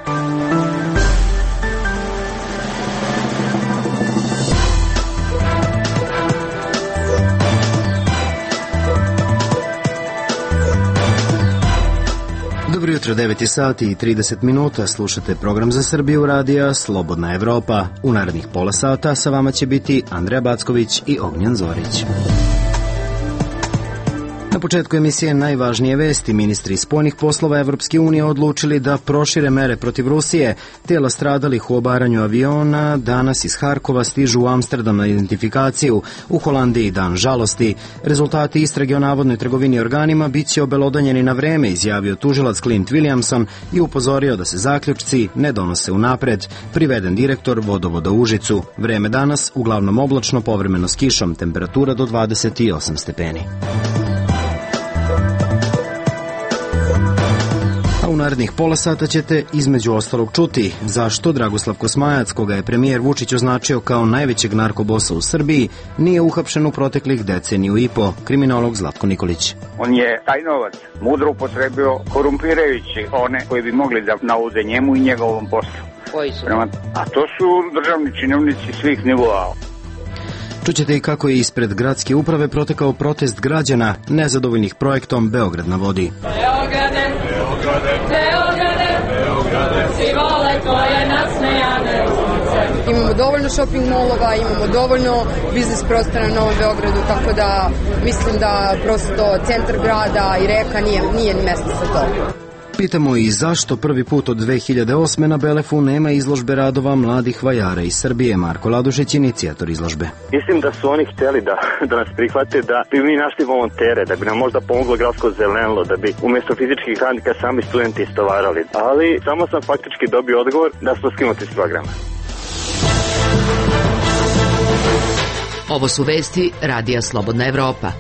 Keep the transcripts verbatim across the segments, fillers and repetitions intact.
Dobro jutro, devet sati i trideset minuta, slušate program za Srbiju radija Slobodna Evropa. U narednih pola sata sa vama će biti Andreja Backović i Ognjan Zorić. Na početku emisije najvažnije vesti. Ministri spoljnih poslova Evropske unije odlučili da prošire mere protiv Rusije. Tela stradalih u obaranju aviona danas iz Harkova stižu u Amsterdam na identifikaciju. U Holandiji dan žalosti. Rezultati istrage o navodnoj trgovini organima bit će obelodanjeni na vreme, izjavio tužilac Clint Williamson i upozorio da se zaključci ne donose unapred. Priveden direktor vodovoda u Užicu. Vreme danas uglavnom oblačno, povremeno s kišom, temperatura do dvadeset osam stepeni. U narednih pola sata ćete između ostalog čuti zašto Dragoslav Kosmajac, koga je premijer Vučić označio kao najvećeg narkobosa u Srbiji, nije uhapšen u proteklih deceniju i po. Kriminolog Zlatko Nikolić. On je taj novac mudro upotrebio korumpirajući one koji bi mogli da naude njemu i njegovom poslu. Koji su? Prema, a to su državni činovnici svih nivoa. Čućete i kako je ispred gradske uprave protekao protest građana nezadovoljnih projektom Beograd na vodi. Beograde, Beograde, Beograde, Beograde, svi vole tvoje nasmejane ulice. Imamo dovoljno shopping molova, imamo dovoljno biznis prostora na Novom Beogradu, tako da mislim da prosto centar grada i reka nije, nije ni mesto za to. Pitamo i zašto prvi put od dve hiljade osme na Belefu nema izložbe radova mladih vajara iz Srbije. Marko Ladušić, inicijator izložbe. Mislim da su oni htjeli da, da nas prihvate, da bi mi našli volontere, da bi nam možda pomoglo gradsko zelenilo, da bi umjesto fizičkih radnika sami studenti istovarali. Ali samo sam faktički dobio odgovor da smo skinuti s programa. Ovo su vesti radija Slobodna Evropa.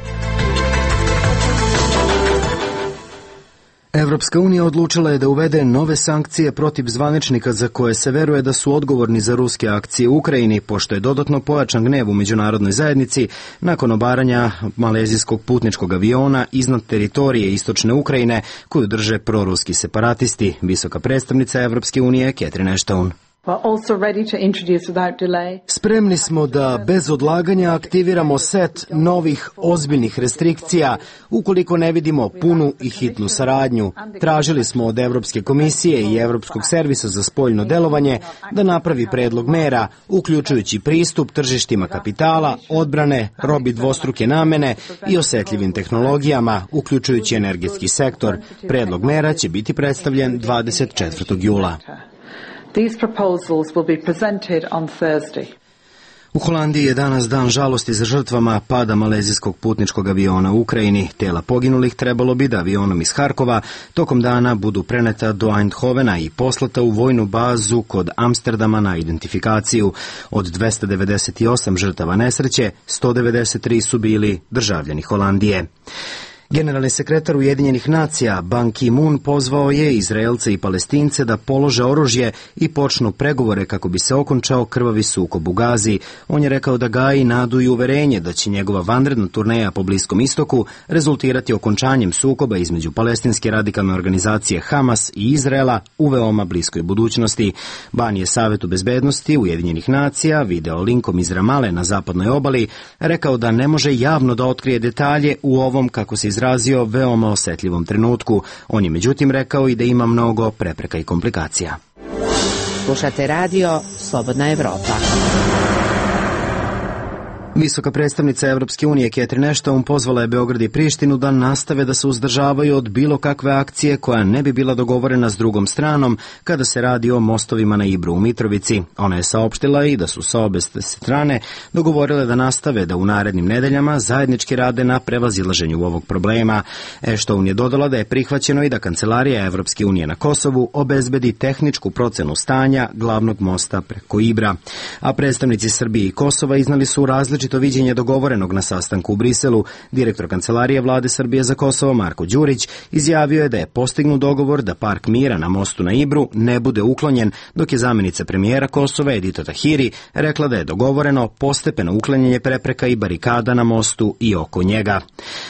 Evropska unija odlučila je da uvede nove sankcije protiv zvaničnika za koje se veruje da su odgovorni za ruske akcije u Ukrajini, pošto je dodatno pojačan gnev u međunarodnoj zajednici nakon obaranja malezijskog putničkog aviona iznad teritorije istočne Ukrajine koju drže proruski separatisti. Visoka predstavnica Evropske unije Catherine Ashton. Spremni smo da bez odlaganja aktiviramo set novih ozbiljnih restrikcija ukoliko ne vidimo punu i hitnu saradnju. Tražili smo od Evropske komisije i Evropskog servisa za spoljno delovanje da napravi predlog mera, uključujući pristup tržištima kapitala, odbrane, robi dvostruke namene i osetljivim tehnologijama, uključujući energetski sektor. Predlog mera će biti predstavljen dvadeset četvrtog jula. These proposals will be presented on Thursday. U Holandiji je danas dan žalosti za žrtvama pada malezijskog putničkog aviona u Ukrajini. Tela poginulih trebalo bi da avionom iz Harkova tokom dana budu preneta do Eindhovena i poslata u vojnu bazu kod Amsterdama na identifikaciju. Od dvesta devedeset osam žrtava nesreće, sto devedeset tri su bili državljani Holandije. Generalni sekretar Ujedinjenih nacija Ban Ki-moon pozvao je Izraelce i Palestince da polože oružje i počnu pregovore kako bi se okončao krvavi sukob u Gazi. On je rekao da gaji nadu i uverenje da će njegova vanredna turneja po Bliskom istoku rezultirati okončanjem sukoba između palestinske radikalne organizacije Hamas i Izraela u veoma bliskoj budućnosti. Ban je Savetu bezbednosti Ujedinjenih nacija video linkom iz Ramale na zapadnoj obali rekao da ne može javno da otkrije detalje u ovom, kako se izrazio, veoma osetljivom trenutku. On je međutim rekao i da ima mnogo prepreka i komplikacija. Slušate radio Slobodna Evropa. Visoka predstavnica Evropske unije Catherine Ashton pozvala je Beograd i Prištinu da nastave da se uzdržavaju od bilo kakve akcije koja ne bi bila dogovorena s drugom stranom kada se radi o mostovima na Ibru u Mitrovici. Ona je saopštila i da su sa obe strane dogovorile da nastave da u narednim nedeljama zajednički rade na prevazilaženju ovog problema. Ashton je dodala da je prihvaćeno i da Kancelarija Evropske unije na Kosovu obezbedi tehničku procenu stanja glavnog mosta preko Ibra. A predstavnici Srbije i Kosova iznali su različite različito viđenje dogovorenog na sastanku u Briselu. Direktor Kancelarije Vlade Srbije za Kosovo Marko Đurić izjavio je da je postignut dogovor da Park mira na mostu na Ibru ne bude uklonjen, dok je zamenica premijera Kosova Edita Tahiri rekla da je dogovoreno postepeno uklanjanje prepreka i barikada na mostu i oko njega.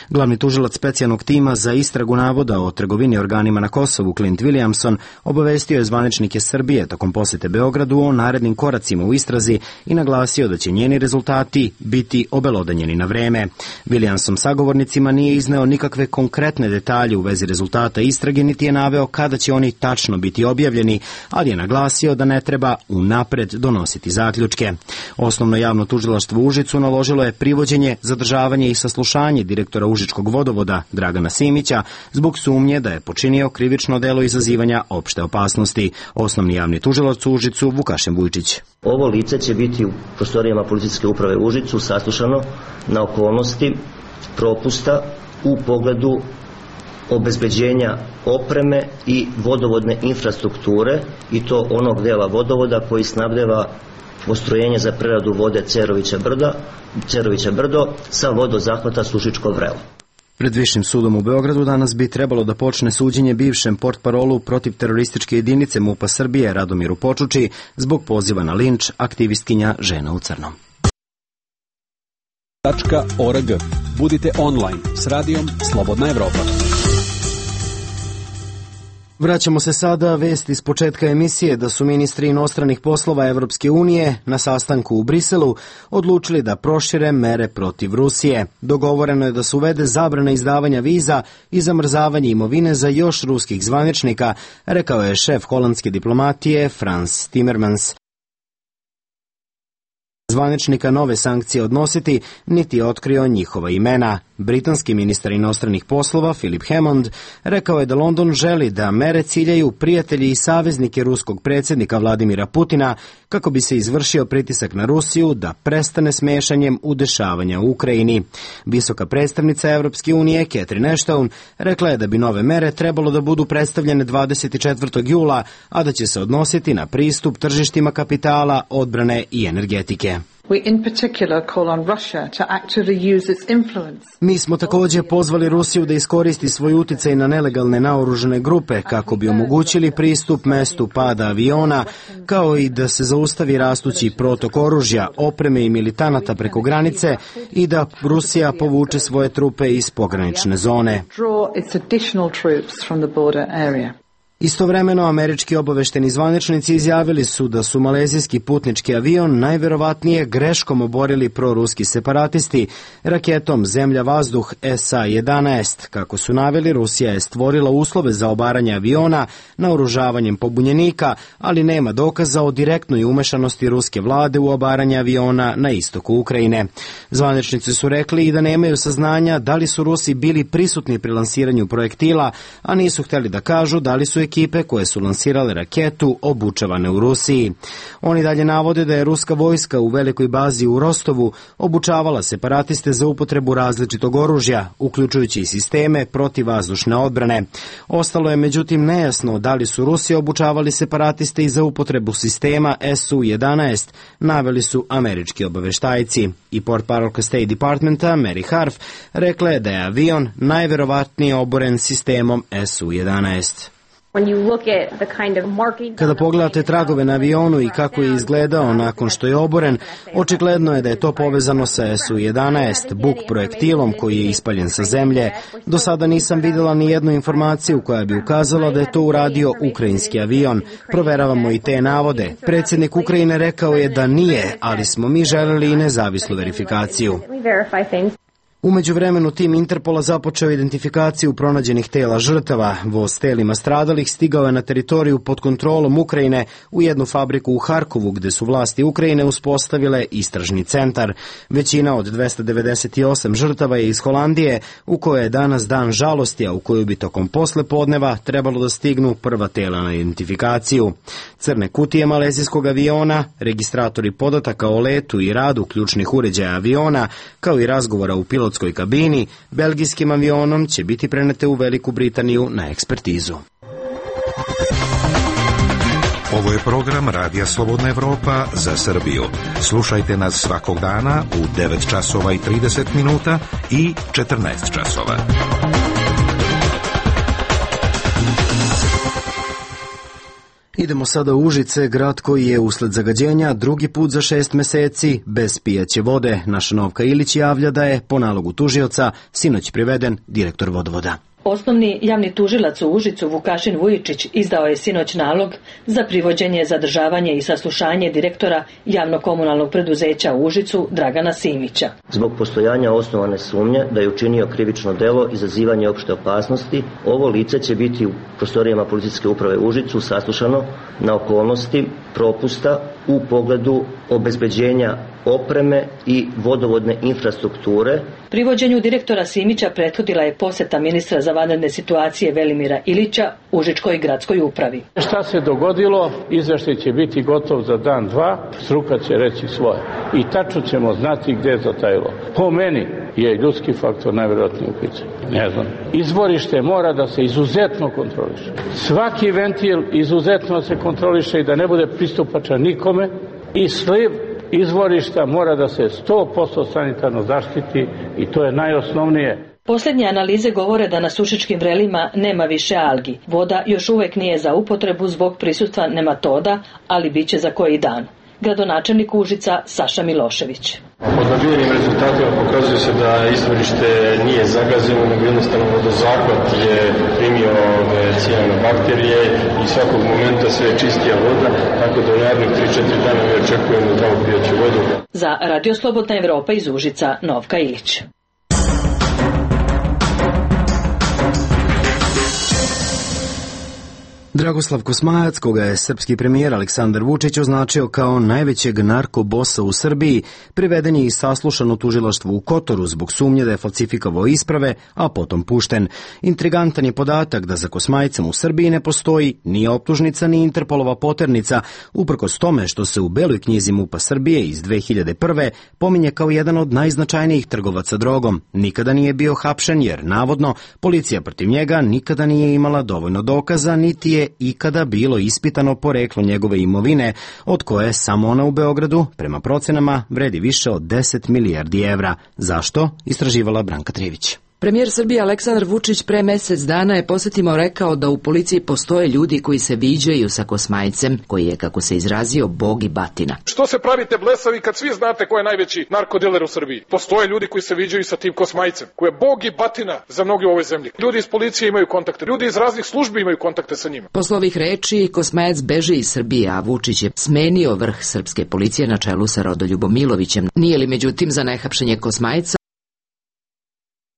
Glavni tužilac specijalnog tima za istragu navoda o trgovini organima na Kosovu Clint Williamson obavestio je zvaničnike Srbije tokom posete Beogradu o narednim koracima u istrazi i naglasio da će njeni rezultati biti obelodanjeni na vreme. Williamson sagovornicima nije izneo nikakve konkretne detalje u vezi rezultata istrage, niti je naveo kada će oni tačno biti objavljeni, ali je naglasio da ne treba unapred donositi zaključke. Osnovno javno tužilaštvo u Užicu naložilo je privođenje, zadržavanje i saslušanje direktora Užičkog vodovoda Dragana Simića zbog sumnje da je počinio krivično delo izazivanja opšte opasnosti. Osnovni javni tužilac u Užicu Vukašin Vujčić. Ovo lice će biti u prostorijama policijske uprave u Užicu saslušano na okolnosti propusta u pogledu obezbeđenja opreme i vodovodne infrastrukture, i to onog dela vodovoda koji snabdeva postrojenje za preradu vode Cerovića brda, Cerovića brdo sa vodozahvata Sušičko vrelo. Pred Višim sudom u Beogradu danas bi trebalo da počne suđenje bivšem portparolu protiv terorističke jedinice MUP-a Srbije Radomiru Počuči zbog poziva na linč aktivistkinja Žena u crnom. .org. Budite online s radijom Slobodna Evropa. Vraćamo se sada vesti iz početka emisije da su ministri inostranih poslova Evropske unije na sastanku u Briselu odlučili da prošire mere protiv Rusije. Dogovoreno je da se uvede zabrana izdavanja viza i zamrzavanje imovine za još ruskih zvaničnika, rekao je šef holandske diplomatije Frans Timmermans. Zvaničnika nove sankcije odnositi, niti je otkrio njihova imena. Britanski ministar inostranih poslova Philip Hammond rekao je da London želi da mere ciljaju prijatelji i saveznike ruskog predsjednika Vladimira Putina kako bi se izvršio pritisak na Rusiju da prestane s mešanjem u dešavanja u Ukrajini. Visoka predstavnica Evropske unije Catherine Ashton rekla je da bi nove mere trebalo da budu predstavljene dvadeset četvrtog jula, a da će se odnositi na pristup tržištima kapitala, odbrane i energetike. Mi smo također pozvali Rusiju da iskoristi svoj uticaj na nelegalne naoružane grupe kako bi omogućili pristup mestu pada aviona, kao i da se zaustavi rastući protok oružja, opreme i militanata preko granice i da Rusija povuče svoje trupe iz pogranične zone. Istovremeno, američki obavešteni zvaničnici izjavili su da su malezijski putnički avion najverovatnije greškom oborili proruski separatisti raketom zemlja-vazduh S A jedanaest. Kako su naveli, Rusija je stvorila uslove za obaranje aviona naoružavanjem pobunjenika, ali nema dokaza o direktnoj umešanosti ruske vlade u obaranje aviona na istoku Ukrajine. Zvaničnici su rekli i da nemaju saznanja da li su Rusi bili prisutni pri lansiranju projektila, a nisu hteli da kažu da li su ekipe koje su lansirale raketu obučavane u Rusiji. Oni dalje navode da je ruska vojska u velikoj bazi u Rostovu obučavala separatiste za upotrebu različitog oružja, uključujući i sisteme protivvazdušne odbrane. Ostalo je međutim nejasno da li su Rusi obučavali separatiste i za upotrebu sistema S U jedanaest, naveli su američki obaveštajci. I portparolka State Departmenta Mary Harf rekla je da je avion najverovatnije oboren sistemom S U jedanaest. Kada pogledate tragove na avionu i kako je izgledao nakon što je oboren, očigledno je da je to povezano sa S U jedanaest, Buk projektilom koji je ispaljen sa zemlje. Do sada nisam vidjela ni jednu informaciju koja bi ukazala da je to uradio ukrajinski avion. Proveravamo i te navode. Predsjednik Ukrajine rekao je da nije, ali smo mi želeli i nezavisnu verifikaciju. U međuvremenu tim Interpola započeo identifikaciju pronađenih tela žrtava. Voz s telima stradalih stigao je na teritoriju pod kontrolom Ukrajine u jednu fabriku u Harkovu gde su vlasti Ukrajine uspostavile istražni centar. Većina od dvesta devedeset osam žrtava je iz Holandije, u kojoj je danas dan žalosti, a u koju bi tokom poslepodneva trebalo da stignu prva tela na identifikaciju. Crne kutije malezijskog aviona, registratori podataka o letu i radu ključnih uređaja aviona, kao i razgovora u pilotskoj kabini, belgijskim avionom će biti prenete u Veliku Britaniju na ekspertizu. Ovo je program Radija Slobodna Evropa za Srbiju. Slušajte nas svakog dana u devet časova i trideset minuta i četrnaest časova. Idemo sada u Užice, grad koji je usled zagađenja drugi put za šest meseci bez pijaće vode. Naša Novka Ilić javlja da je po nalogu tužioca sinoć priveden direktor vodovoda. Osnovni javni tužilac u Užicu Vukašin Vujičić izdao je sinoć nalog za privođenje, zadržavanje i saslušanje direktora javno-komunalnog preduzeća u Užicu Dragana Simića. Zbog postojanja osnovane sumnje da je učinio krivično delo izazivanje opšte opasnosti, ovo lice će biti u prostorijama policijske uprave u Užicu saslušano na okolnosti propusta u pogledu obezbeđenja opreme i vodovodne infrastrukture. Privođenju direktora Simića prethodila je poseta ministra za vanredne situacije Velimira Ilića Užičkoj gradskoj upravi. Šta se dogodilo? Izveštaj će biti gotov za dan, dva, struka će reći svoje. I tačno ćemo znati gde je zatajilo. Po meni je ljudski faktor najvjerojatniji u pitanju. Ne znam. Izvorište mora da se izuzetno kontroliše. Svaki ventil izuzetno se kontroliše i da ne bude pristupačan nikome. I sliv izvorišta mora da se sto posto sanitarno zaštiti i to je najosnovnije. Posljednje analize govore da na Sušičkim vrelima nema više algi. Voda još uvek nije za upotrebu zbog prisustva nematoda, ali bit će za koji dan. Gradonačelnik Užica Saša Milošević. Pod nabijenim rezultatima pokazuje se da izvorište nije zagazeno, nego jednostavno vodozahvat je primio cijene bakterije i svakog momenta sve je čistija voda, tako da u narednih tri četiri dana mi očekujemo zdravu pijaću vodu. Za Radio Slobodna Evropa iz Užica, Novka Ilić. Dragoslav Kosmajac, koga je srpski premijer Aleksandar Vučić označio kao najvećeg narkobosa u Srbiji, priveden je i saslušan u tužilaštvu u Kotoru zbog sumnje da je falsifikovao isprave, a potom pušten. Intrigantan je podatak da za Kosmajcem u Srbiji ne postoji ni optužnica ni Interpolova poternica, uprkos tome što se u Beloj knjizi MUP-a Srbije iz dve hiljade prve. pominje kao jedan od najznačajnijih trgovaca drogom. Nikada nije bio hapšen jer, navodno, policija protiv njega nikada nije imala dovoljno dokaza, niti je ikada bilo ispitano poreklo njegove imovine, od koje samo ona u Beogradu, prema procenama, vredi više od deset milijardi evra. Zašto? Istraživala Branka Trivić. Premijer Srbije Aleksandar Vučić pre mesec dana je posjetimo rekao da u policiji postoje ljudi koji se viđaju sa Kosmajcem, koji je, kako se izrazio, bog i batina. Što se pravite blesavi kad svi znate ko je najveći narkodiler u Srbiji? Postoje ljudi koji se viđaju sa tim Kosmajcem, koji je bog i batina za mnoge u ovoj zemlji. Ljudi iz policije imaju kontakte, ljudi iz raznih službi imaju kontakte sa njima. Posle ovih reči, Kosmajac beži iz Srbije, a Vučić je smenio vrh srpske policije na čelu sa Rodoljubom Milovićem. Nije li međutim za nehapšenje Kosmajca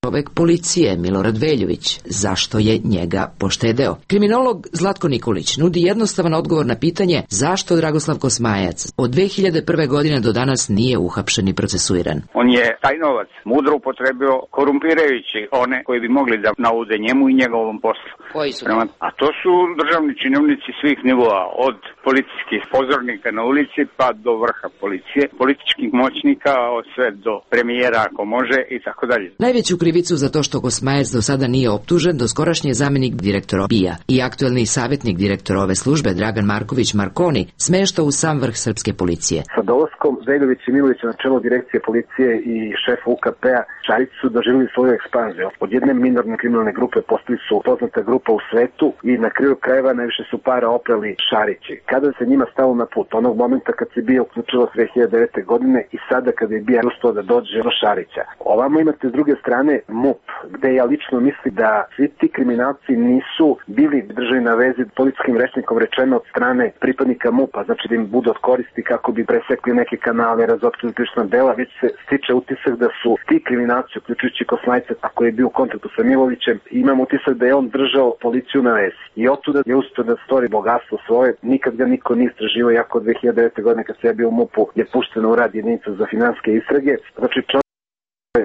čovek policije Milorad Veljović? Zašto je njega poštedeo? Kriminolog Zlatko Nikolić nudi jednostavan odgovor na pitanje zašto Dragoslav Kosmajac od dve hiljade prve. godine do danas nije uhapšen i procesuiran. On je taj novac mudro upotrebio korumpirajući one koji bi mogli da naude njemu i njegovom poslu. Koji su? Prema, a to su državni činovnici svih nivoa, od policijskih pozornika na ulici pa do vrha policije, političkih moćnika, od sve do premijera ako može i tako dalje. Najveću krivicu za to što Kosmajac do sada nije optužen doskorašnji zamenik direktora B I A i aktuelni savjetnik direktora ove službe Dragan Marković Markoni smešta u sam vrh srpske policije. Sa dolaskom Veljovića i Milovića na čelo direkcije policije i šef U K P-a Šarić su doživjeli svoju ekspanziju. Od jedne minorne kriminalne grupe postali su poznata grupa u svetu i na kraju krajeva najviše su para oprali Šarići. Kada se njima stalo na put, onog momenta kad se B I A uključila dve hiljade devete. godine i sada kada je B I A uspeo da dođe do Šarića. Ovamo imate s druge strane MUP, gde ja lično mislim da svi ti kriminalci nisu bili držani na vezi policijskim rečnikom rečeno od strane pripadnika MUP-a, znači da im budu od koristi kako bi presekli neke kanale, razotkrili krivična dela, već se stiče utisak da su ti kriminalci, uključujući Kosmajca, ako je bio u kontaktu sa Milovićem, imam utisak da je on držao policiju na vezi. I otuda je uspio da stvori bogatstvo svoje, nikad ga niko nije istraživao, jako od dve hiljade devete. godine kad se ja bio u MUP-u je pušteno u rad jedinica za finansijske istrage, znači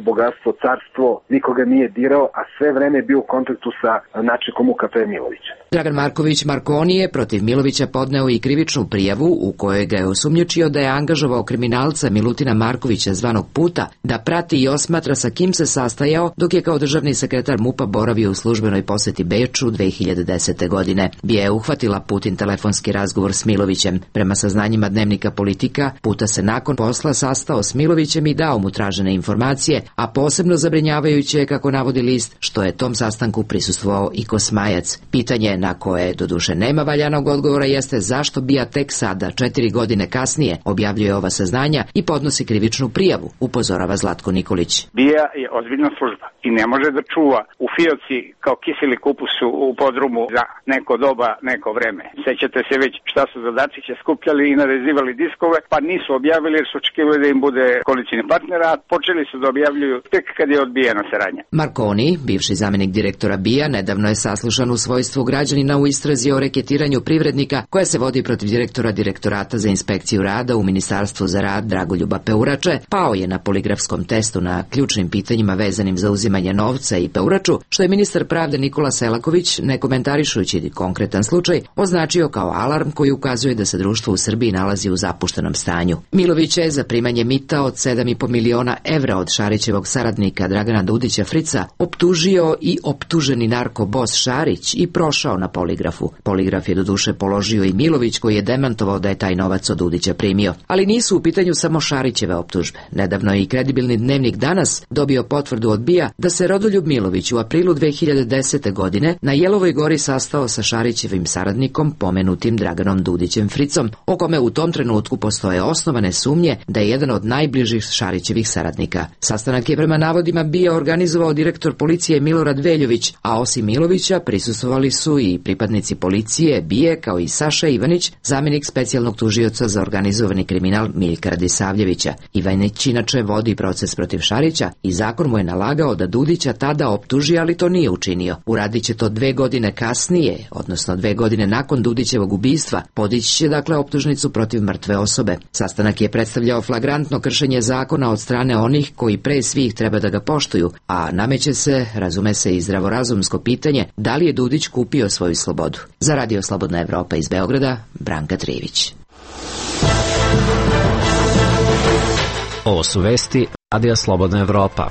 bogatstvo, carstvo, nikoga nije dirao, a sve vreme je bio u kontaktu sa načelnikom U K P Milovića. Dragan Marković Markoni je protiv Milovića podneo i krivičnu prijavu u kojoj ga je osumnjičio da je angažovao kriminalca Milutina Markovića zvanog Puta da prati i osmatra sa kim se sastajao dok je kao državni sekretar M U P-a boravio u službenoj poseti Beču dve hiljade desete. godine. Bija je uhvatila Putin telefonski razgovor s Milovićem. Prema saznanjima dnevnika Politika, Puta se nakon posla sastao s Milovićem i dao mu tražene informacije, a posebno zabrinjavajuće je, kako navodi list, što je tom sastanku prisustvovao i Kosmajac. Pitanje na koje doduše nema valjanog odgovora jeste zašto Bija tek sada, četiri godine kasnije, objavljuje ova saznanja i podnosi krivičnu prijavu, upozorava Zlatko Nikolić. Bija je ozbiljna služba i ne može da čuva u fioci kao kiseli kupus u podrumu za neko doba, neko vreme. Sećate se već šta su za Dačića skupljali i narezivali diskove, pa nisu objavili jer su očekivali da im bude koalicijni partner, a počeli su da objavljuju tek kad je odbijena saradnja. Markoni, bivši zamenik direktora Bija, nedavno je saslušan u svojstvu građanina u istrazi o reketiranju privrednika koja se vodi protiv direktora Direktorata za inspekciju rada u Ministarstvu za rad Dragoljuba Peurače. Pao je na poligrafskom testu na ključnim pitanjima vezanim za uzimanje novca i Peuraču, što je ministar pravde Nikola Selaković, ne komentarišujući konkretan slučaj, označio kao alarm koji ukazuje da se društvo u Srbiji nalazi u zapuštenom stanju. Milović je za primanje mita od sedam i po miliona evra od Šarićevog saradnika Dragana Dudića Frica optužio i optuženi narkobos Šarić i prošao na poligrafu. Poligraf je doduše položio i Milović, koji je demantovao da je taj novac od Dudića primio. Ali nisu u pitanju samo Šarićeve optužbe. Nedavno je i kredibilni dnevnik Danas dobio potvrdu od Bija da se Rodoljub Milović u aprilu dve hiljade desete. godine na Jelovoj gori sastao sa Šarićevim saradnikom, pomenutim Draganom Dudićem Fricom, o kome u tom trenutku postoje osnovane sumnje da je jedan od najbližih Šarićevih saradnika. Sastanak je prema navodima Bija organizovao direktor policije Milorad Veljović, a osim Milovića prisustvovali su i pripadnici policije Bije, kao i Saša Ivanić, zamenik specijalnog tužioca za organizovani kriminal Miljka Radisavljevića. Ivanić inače vodi proces protiv Šarića i zakon mu je nalagao da Dudića tada optuži, ali to nije učinio. Uradit će to dve godine kasnije, odnosno dve godine nakon Dudićevog ubistva. Podići će dakle optužnicu protiv mrtve osobe. Sastanak je predstavljao flagrantno kršenje zakona od strane onih koji pre svih treba da ga poštuju, a nameće se, razume se, i zdravorazumsko pitanje da li je Dudić kupio svoju slobodu. Za Radio Slobodna Evropa iz Beograda, Branka Trivić. Ovo su vesti Radija Slobodna Evropa.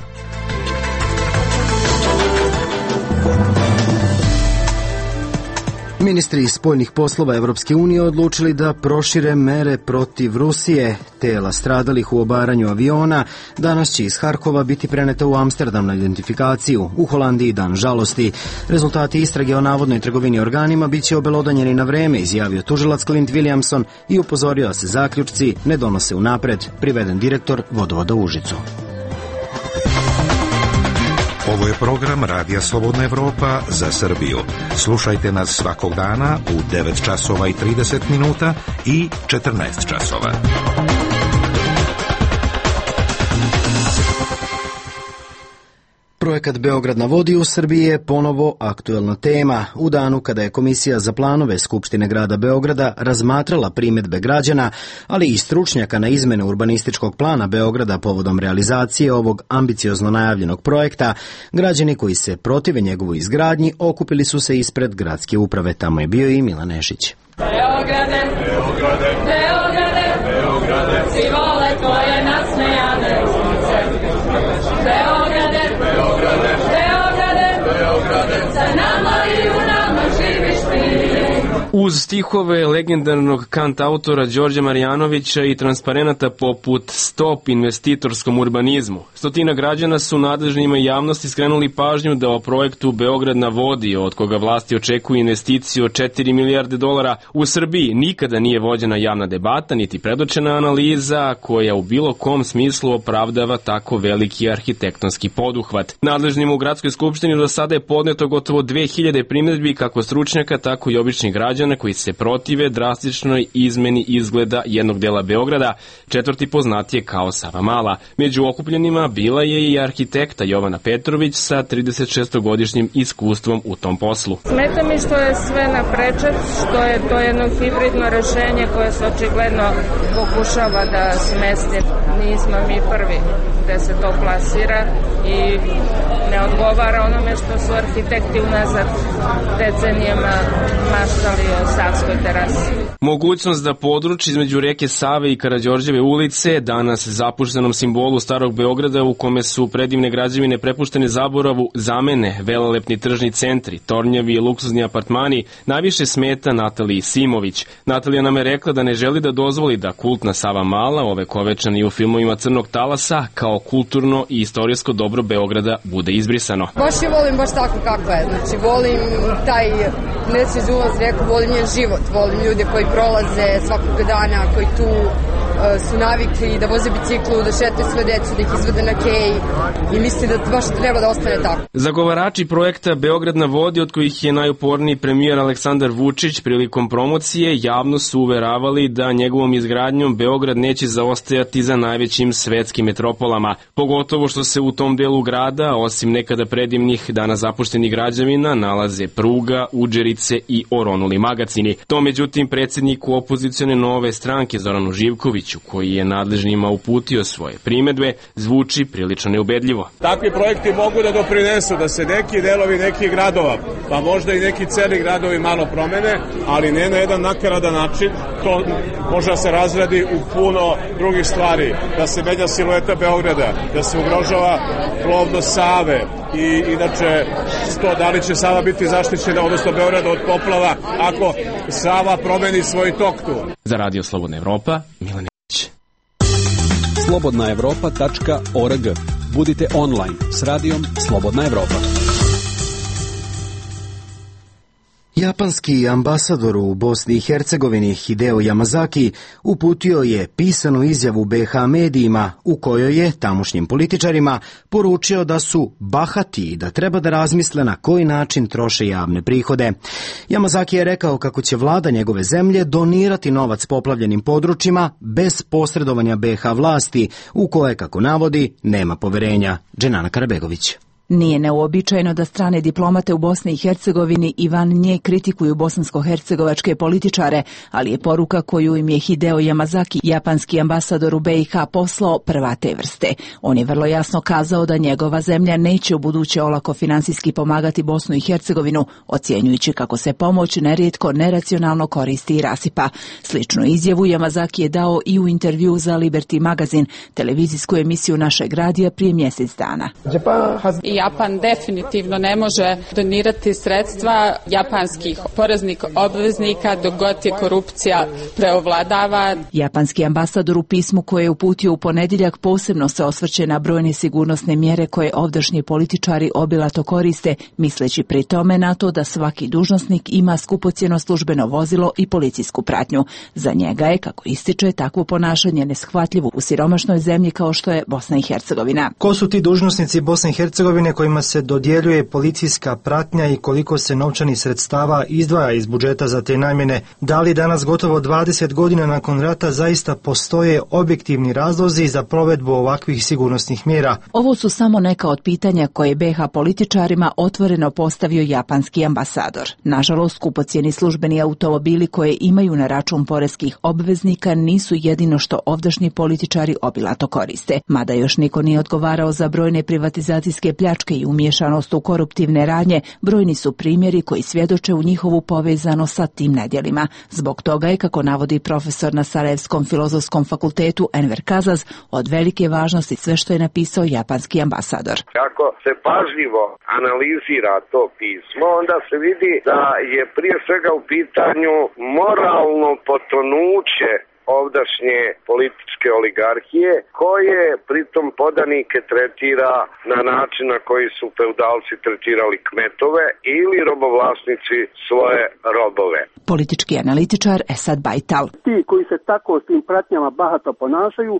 Ministri spoljnih poslova Evropske unije odlučili da prošire mere protiv Rusije. Tela stradalih u obaranju aviona danas će iz Harkova biti preneta u Amsterdam na identifikaciju. U Holandiji dan žalosti. Rezultati istrage o navodnoj trgovini organima bit će obelodanjeni na vreme, izjavio tužilac Clint Williamson i upozorio da se zaključci ne donose unapred, priveden direktor Vodovoda Užicu. Ovo je program Radija Slobodna Evropa za Srbiju. Slušajte nas svakog dana u devet časova i trideset minuta i četrnaest časova. Projekat Beograd na vodi u Srbiji je ponovo aktuelna tema. U danu kada je Komisija za planove Skupštine grada Beograda razmatrala primedbe građana, ali i stručnjaka na izmene urbanističkog plana Beograda povodom realizacije ovog ambiciozno najavljenog projekta, građani koji se protive njegovoj izgradnji okupili su se ispred gradske uprave. Tamo je bio i Milan Nešić. Beograde, Beograde, Beograde, Beograde, svi vole tvoje nasmejane ulice. Beograde, Beograde, Beograde, Beograde, za nama i u nama živiš ti. Uz stihove legendarnog kantautora Đorđa Marjanovića i transparenata poput Stop investitorskom urbanizmu, stotina građana su nadležnima i javnosti skrenuli pažnju da o projektu Beograd na vodi, od koga vlasti očekuju investiciju od četiri milijarde dolara, u Srbiji nikada nije vođena javna debata niti predočena analiza koja u bilo kom smislu opravdava tako veliki arhitektonski poduhvat. Nadležnima u gradskoj skupštini do sada je podneto gotovo dve hiljade primedbi kako stručnjaka, tako i običnih građana koji se protive drastičnoj izmeni izgleda jednog dela Beograda, četvrti poznatije kao Savamala. Među okupljenima bila je i arhitekta Jovana Petrović sa tridesetšestogodišnjim iskustvom u tom poslu. Smeta mi što je sve na prečac, što je to jedno hibridno rešenje koje se očigledno pokušava da smesti. Nismo mi prvi. gde se to plasira i ne odgovara onome što su arhitekti unazad decenijama maštali o Savskoj terasi. Mogućnost da područje između reke Save i Karađorđeve ulice, danas zapuštenom simbolu Starog Beograda u kome su predivne građevine prepuštene zaboravu, zamene velelepni tržni centri, tornjevi i luksuzni apartmani, najviše smeta Nataliji Simović. Natalija nam je rekla da ne želi da dozvoli da kultna Sava Mala, ovekovečena i u filmovima Crnog talasa, kao kulturno i istorijsko dobro Beograda bude izbrisano. Baš je volim baš tako kako je. Znači volim taj nesvez ulaz reku, volim njen život, volim ljude koji prolaze svakog dana, koji tu uh, su navikli da voze biciklu, da šetaju sve decu, da ih izvede na kej i mislim da baš treba da ostane tako. Zagovarači projekta Beograd na vodi, od kojih je najuporniji premijer Aleksandar Vučić, prilikom promocije javno su uveravali da njegovom izgradnjom Beograd neće zaostajati za najvećim svetskim metropolama, pogotovo što se u tom delu grada, osim nekada predivnih danas zapuštenih građevina, nalaze pruga, udžerice i oronuli magacini. To međutim predsjedniku opozicione Nove stranke Zoranu Živkoviću, koji je nadležnima uputio svoje primedbe, zvuči prilično neubedljivo. Takvi projekti mogu da doprinesu da se neki delovi nekih gradova, pa možda i neki celi gradovi malo promene, ali ne na jedan nakaradan način. To može da se razradi u puno drugih stvari, da se menja silueta Beograda, da se ugrožava plovnost Save i inače to da li će Sava biti zaštićena, odnosno Beograd od poplava, ako Sava promeni svoj tok tu. Za Radio Slobodna Evropa, Milan Ilić. slobodna evropa tačka org. Budite online s radijom Slobodna Evropa. Japanski ambasador u Bosni i Hercegovini Hideo Yamazaki uputio je pisanu izjavu be ha medijima u kojoj je tamošnjim političarima poručio da su bahati i da treba da razmisle na koji način troše javne prihode. Yamazaki je rekao kako će vlada njegove zemlje donirati novac poplavljenim područjima bez posredovanja be ha vlasti u koje, kako navodi, nema poverenja. Dženana Karabegović. Nije neuobičajeno da strane diplomate u Bosni i Hercegovini i van nje kritikuju bosansko-hercegovačke političare, ali je poruka koju im je Hideo Yamazaki, japanski ambasador u be i ha, poslao prva te vrste. On je vrlo jasno kazao da njegova zemlja neće u buduće olako finansijski pomagati Bosnu i Hercegovinu, ocjenjujući kako se pomoć nerijetko neracionalno koristi i rasipa. Sličnu izjavu Yamazaki je dao i u intervju za Liberty magazin, televizijsku emisiju našeg radija prije mjesec dana. Japan definitivno ne može donirati sredstva japanskih poreznih obveznika dok god je korupcija preovladava. Japanski ambasador u pismu koje je uputio u ponedjeljak posebno se osvrće na brojne sigurnosne mjere koje ovdašnji političari obilato koriste, misleći pri tome na to da svaki dužnosnik ima skupocjeno službeno vozilo i policijsku pratnju. Za njega je, kako ističe, takvo ponašanje neshvatljivo u siromašnoj zemlji kao što je Bosna i Hercegovina. Ko su ti dužnosnici Bosne i Hercegovine kojima se dodjeljuje policijska pratnja i koliko se novčanih sredstava izdvaja iz budžeta za te namjene? Da li danas, gotovo dvadeset godina nakon rata, zaista postoje objektivni razlozi za provedbu ovakvih sigurnosnih mjera? Ovo su samo neka od pitanja koje be ha političarima otvoreno postavio japanski ambasador. Nažalost, skupocjeni službeni automobili koje imaju na račun poreskih obveznika nisu jedino što ovdašnji političari obilato koriste. Mada još niko nije odgovarao za brojne privatizacijske pljačke i umiješanost u koruptivne radnje, brojni su primjeri koji svjedoče u njihovu povezanost sa tim nedjelima. Zbog toga je, kako navodi profesor na Sarajevskom filozofskom fakultetu Enver Kazaz, od velike važnosti sve što je napisao japanski ambasador. Ako se pažljivo analizira to pismo, onda se vidi da je prije svega u pitanju moralno potonuće ovdašnje političke oligarhije, koje pritom podanike tretira na način na koji su feudalci tretirali kmetove ili robovlasnici svoje robove. Politički analitičar Esad Bajtal. Ti koji se tako s tim pratnjama bahato ponašaju,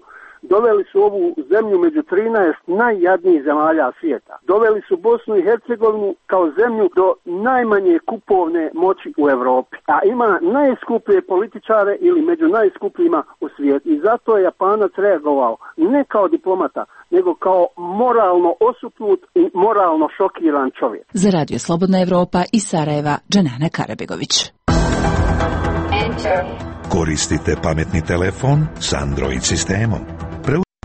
doveli su ovu zemlju među trinaest najjadnijih zemalja svijeta. Doveli su Bosnu i Hercegovinu kao zemlju do najmanje kupovne moći u Europi. A ima najskuplje političare ili među najskupljima u svijetu. I zato je Japanac reagovao ne kao diplomata, nego kao moralno osupnut i moralno šokiran čovjek. Za Radio Slobodna Evropa iz Sarajeva, Dženana Karabegović. Koristite pametni telefon s Android sistemom.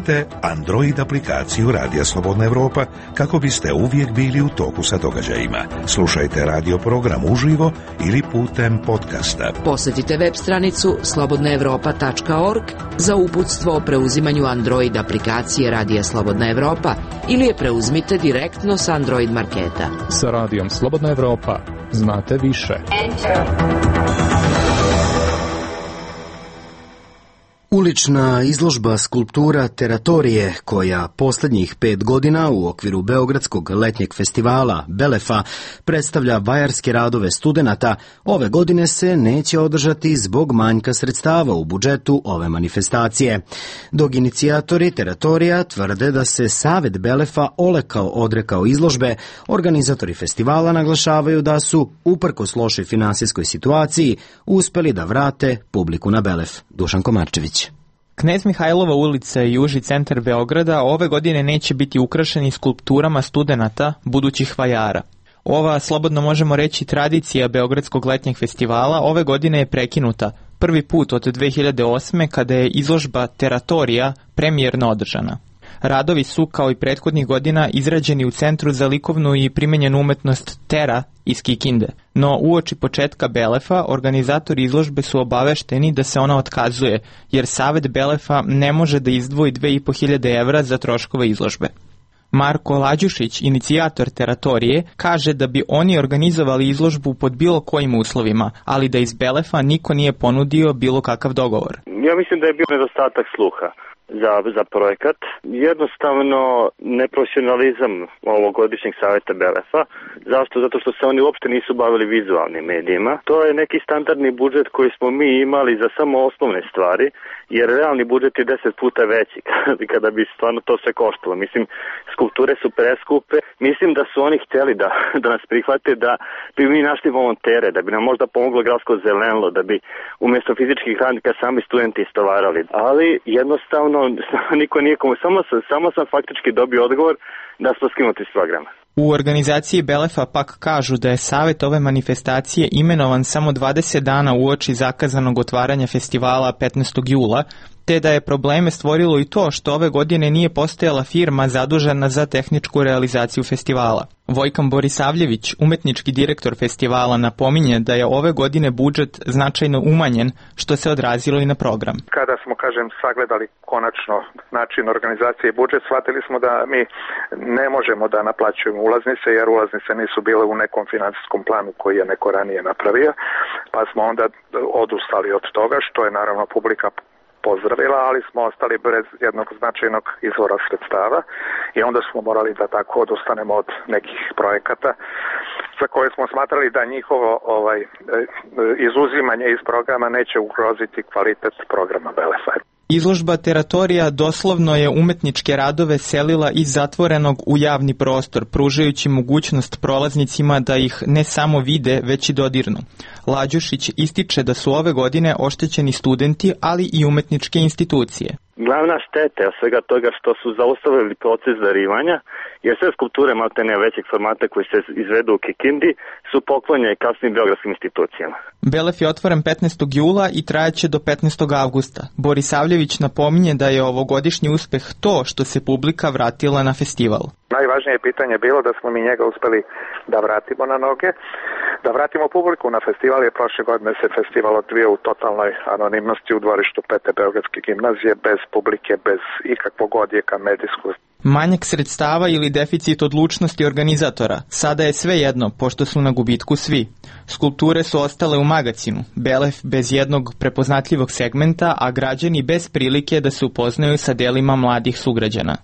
Instalirajte Android aplikaciju Radija Slobodna Evropa kako biste uvijek bili u toku sa događajima. Slušajte radio program uživo ili putem podcasta. Posjetite web stranicu slobodna evropa tačka org za uputstvo o preuzimanju Android aplikacije Radija Slobodna Evropa ili je preuzmite direktno sa Android marketa. Sa Radijom Slobodna Evropa znate više. Ulična izložba skulptura Teratorije, koja posljednjih pet godina u okviru Beogradskog letnjeg festivala Belefa predstavlja vajarske radove studenata, ove godine se neće održati zbog manjka sredstava u budžetu ove manifestacije. Dok inicijatori Teratorija tvrde da se Savet Belefa olekao odrekao izložbe, organizatori festivala naglašavaju da su, uprkos lošoj finansijskoj situaciji, uspeli da vrate publiku na Belef. Dušan Komarčević. Knez Mihajlova ulica i uži centar Beograda ove godine neće biti ukrašeni skulpturama studenata, budućih vajara. Ova, slobodno možemo reći, tradicija Beogradskog letnjeg festivala ove godine je prekinuta, prvi put od dve hiljade osme kada je izložba Teratorija premijerno održana. Radovi su, kao i prethodnih godina, izrađeni u Centru za likovnu i primenjenu umetnost Tera iz Kikinde. No, uoči početka Belefa, organizatori izložbe su obavešteni da se ona otkazuje, jer Savet Belefa ne može da izdvoji dve i po hiljade evra za troškove izložbe. Marko Lađušić, inicijator Teratorije, kaže da bi oni organizovali izložbu pod bilo kojim uslovima, ali da iz Belefa niko nije ponudio bilo kakav dogovor. Ja mislim da je bio nedostatak sluha za, za projekat. Jednostavno neprofesionalizam ovogodišnjeg savjeta Belefa. Zašto? Zato što se oni uopšte nisu bavili vizualnim medijima. To je neki standardni budžet koji smo mi imali za samo osnovne stvari, jer realni budžet je deset puta veći kada bi stvarno to sve koštalo. Mislim, skulpture su preskupe. Mislim da su oni htjeli da, da nas prihvate, da bi mi našli volontere, da bi nam možda pomoglo gradsko zelenilo, da bi umjesto fizičkih radnika sami studenti istovarali. Ali jednostavno niko nije komu, samo, samo sam faktički dobio odgovor da smo skinuti s programa. U organizaciji Belefa pak kažu da je savjet ove manifestacije imenovan samo dvadeset dana uoči zakazanog otvaranja festivala petnaestog jula, te da je probleme stvorilo i to što ove godine nije postojala firma zadužena za tehničku realizaciju festivala. Vojkan Borisavljević, umetnički direktor festivala, napominje da je ove godine budžet značajno umanjen, što se odrazilo i na program. Kada smo, kažem, sagledali konačno način organizacije i budžet, shvatili smo da mi ne možemo da naplaćujemo ulaznice, jer ulaznice nisu bile u nekom financijskom planu koji je neko ranije napravio, pa smo onda odustali od toga, što je naravno publika pozdravila, ali smo ostali bez jednog značajnog izvora sredstava i onda smo morali da tako odustanemo od nekih projekata za koje smo smatrali da njihovo ovaj, izuzimanje iz programa neće ugroziti kvalitet programa Belefa. Izložba Teratorija doslovno je umetničke radove selila iz zatvorenog u javni prostor, pružajući mogućnost prolaznicima da ih ne samo vide, već i dodirnu. Lađušić ističe da su ove godine oštećeni studenti, ali i umetničke institucije. Glavna šteta je svega toga što su zaustavili proces darivanja, jer sve skulpture maltene većeg formata koji se izvedu u Kikindi su poklonjene kasnim beogradskim institucijama. Belef je otvoren petnaestog jula i trajaće do petnaestog avgusta. Borisavljević napominje da je ovogodišnji uspeh to što se publika vratila na festival. Najvažnije pitanje je bilo da smo mi njega uspeli da vratimo na noge, da vratimo publiku na festival, jer prošle godine se festival odvio u totalnoj anonimnosti u dvorištu Pete Beogradske gimnazije, bez publike, bez ikakvog odjeka medijskog. Manjak sredstava ili deficit odlučnosti organizatora, sada je sve jedno, pošto su na gubitku svi. Skulpture su ostale u magacinu, Belef bez jednog prepoznatljivog segmenta, a građani bez prilike da se upoznaju sa delima mladih sugrađana.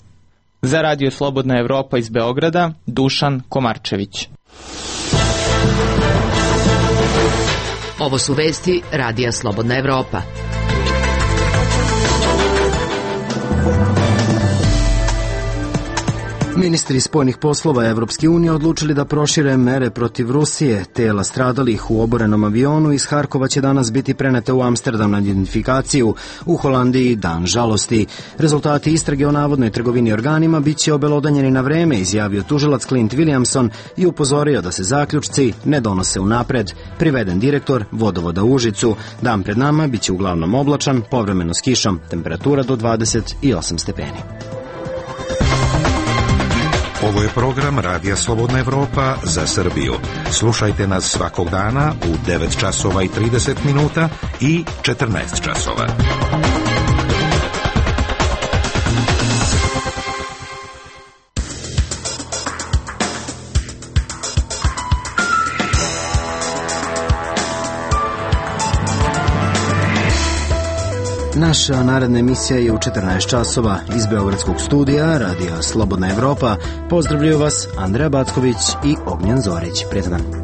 Za Radio Slobodna Evropa iz Beograda, Dušan Komarčević. Ovo su vesti Radija Slobodna Evropa. Ministri spoljnih poslova Evropske unije odlučili da prošire mere protiv Rusije. Tela stradalih u oborenom avionu iz Harkova će danas biti prenete u Amsterdam na identifikaciju. U Holandiji dan žalosti. Rezultati istrage o navodnoj trgovini organima bit će obelodanjeni na vreme, izjavio tužilac Clint Williamson i upozorio da se zaključci ne donose unapred. Priveden direktor vodovoda u Užicu. Dan pred nama bit će uglavnom oblačan, povremeno s kišom, temperatura do dvadeset osam stepeni. Ovo je program Radija Slobodna Evropa za Srbiju. Slušajte nas svakog dana u devet časova i trideset minuta i četrnaest časova. Naša naredna emisija je u četrnaest časova iz Beogradskog studija Radija Slobodna Evropa. Pozdravljaju vas Andreja Backović i Ognjen Zorić. Prijetan dan.